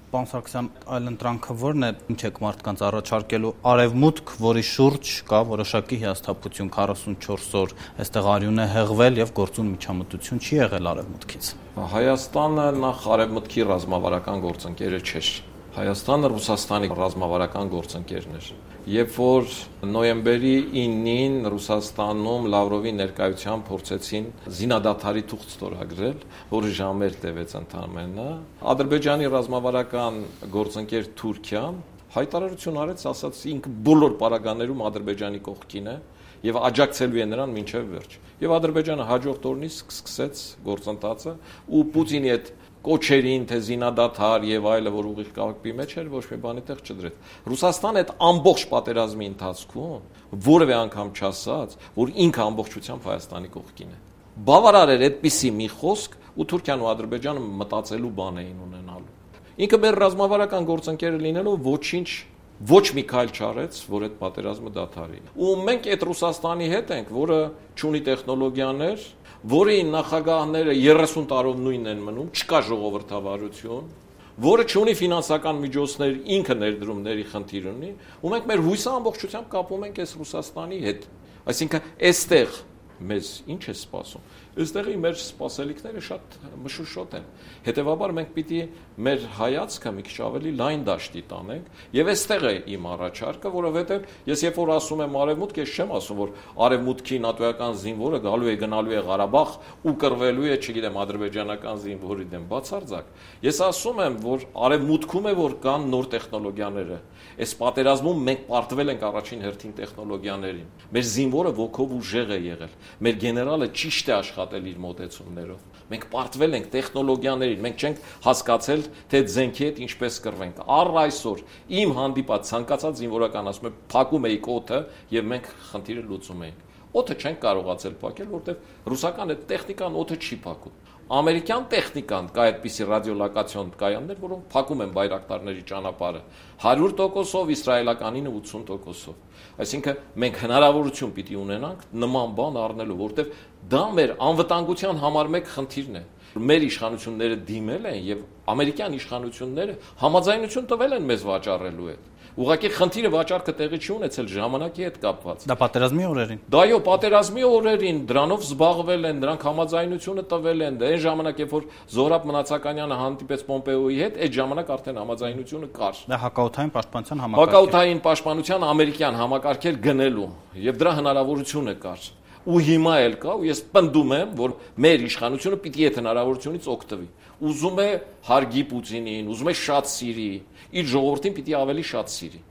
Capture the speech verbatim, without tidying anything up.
Պարոն Սարգսյան, այլընտրանքը ո՞րն է, ինչ եք մարդկանց առաջարկելու արևմուտք, որի շուրջ կա որոշակի հիասթափություն, քառասունչորս օր այստեղ արյուն է հեղվել եւ գործուն միջամտություն չի եղել արևմուտքից։ Հայաստանը նախ արևմուտքի ռազմավարական գործընկերը չէր։ Հայաստանը Ռուսաստանի ռազմավարական գործընկերն էր։ Երբ որ նոյեմբերի իննին Ռուսաստանում Լավրովի ներկայությամբ փորձեցին զինադադարի թուղթ ստորագրել, որը ժամեր տևեց ընդամենը, Ադրբեջանի ռազմավարական գործընկեր Թուրքիան հայտարարություն արեց, ասաց ինքը բոլոր պարագաներում Ադրբեջանի կողքին է եւ աջակցելու է նրան մինչեւ վերջ։ Եվ Ադրբեջանը հաջորդ օրնից սկսեց գործընթացը ու Պուտինի այդ կոչերին, թե զինադադար եւ այլը, որ ուղիղ կապի մեջ էր, ոչ մի բանի տեղ չդրեց։ Ռուսաստանը այդ ամբողջ պատերազմի ընթացքում որևէ անգամ չասաց, որ ինքը ամբողջությամբ Հայաստանի կողքին է։ Բավարար էր այդպիսի մի խոսք, ու Թուրքիան ու Ադրբեջանը մտածելու բան էին ունենալու։ Ինքը մեր ռազմավարական գործընկերը լինելով ոչինչ ոչ մի քայլ չարեց, որ այդ պատերազմը դադարի։ Ու մենք այդ Ռուսաստանի հետ ենք, որը չունի տեխնոլոգիաներ, որի նախագահները երեսուն տարով նույնն են մնում, չկա ժողովրդավարություն, որը չունի ֆինանսական միջոցներ, ինքը ներդրումների խնդիր ունի, ու մենք մեր հույսը ամբողջությամբ կապում ենք այս Ռուսաստանի հետ։ Այսինքն, այստեղ մեզ ինչ է սպասում։ Այստեղի մեր սպասելիքները շատ մշուշոտ են։ Հետևաբար մենք պիտի մեր հայացքը մի քիչ ավելի լայն դաշտի տանենք, եւ այստեղ է իմ առաջարկը, որովհետեւ ես երբ որ ասում եմ արևմուտք, ես չեմ ասում, որ արևմուտքի նատոյական զինվորը գալու է գնալու է Ղարաբաղ ու կռվելու է, չգիտեմ, ադրբեջանական զինվորի դեմ, բացարձակ։ Ես ասում եմ, որ արևմուտքում է, որ կան նոր տեխնոլոգիաները։ Այս պատերազմում մենք պարտվել ենք առաջին հերթին տեխնոլոգիաներին։ Մեր զինվորը ոգով ուժեղ է եղել։ Մեր գեներալը ճիշտ է աշխատել իր մոտեցումներով։ Մենք պարտվել ենք տեխնոլոգիաներին, մենք չենք հասկացել, թե զենքի հետ ինչպես կռվենք։ Առ այսօր իմ հանդիպած ցանկացած զինվորական ասում է, փակում էիք օդը եւ մենք խնդիրը լուծում էինք։ Օդը չենք կարողացել փակել, որտեղ ռուսական այդ տեխնիկան օդը չի փակում։ Ամերիկյան տեխնիկան կա այդպիսի ռադիոլոկացիոն կայաններ, որոնք փակում են բայրակտարների ճանապարհը հարյուր տոկոսով, իսրայելականինը ութսուն տոկոսով։ Այսինքն մենք հնարավորություն պիտի ունենանք նման բան առնելու, որտեղ դա մեր անվտանգության համար մեկ խնդիրն է։ Մեր իշխանությունները դիմել են եւ ամերիկյան իշխանությունները համաձայնություն տվել են մեզ վաճառելու հետ։ Ուղղակի խնդիրը վաճառքը տեղի չի ունեցել ժամանակի հետ կապված։ Դա պատերազմի օրերին։ Դա այո, պատերազմի օրերին դրանով զբաղվել են, դրանք համաձայնությունը տվել են։ Դա այն ժամանակ, երբ որ Զոհրաբ Մնացականյանը հանդիպեց Պոմպեոյի հետ, այդ ժամանակ արդեն համաձայնությունը կար։ Դա հակաօդային պաշտպանության համակարգ։ Հակաօդային պաշտպանության ամերիկյան համակարգեր գնելու եւ դրա հնարավորությունը կար։ Ու հիմա էլ կա, ու ես պնդում եմ, որ մեր իշխանությունը պիտի այդ հնարավորությունից օգտվի։ Ուզում է հարգի Պուտինին, ուզում է շատ սիրի, իր ժողովրդին պիտի ավելի շատ սիրի։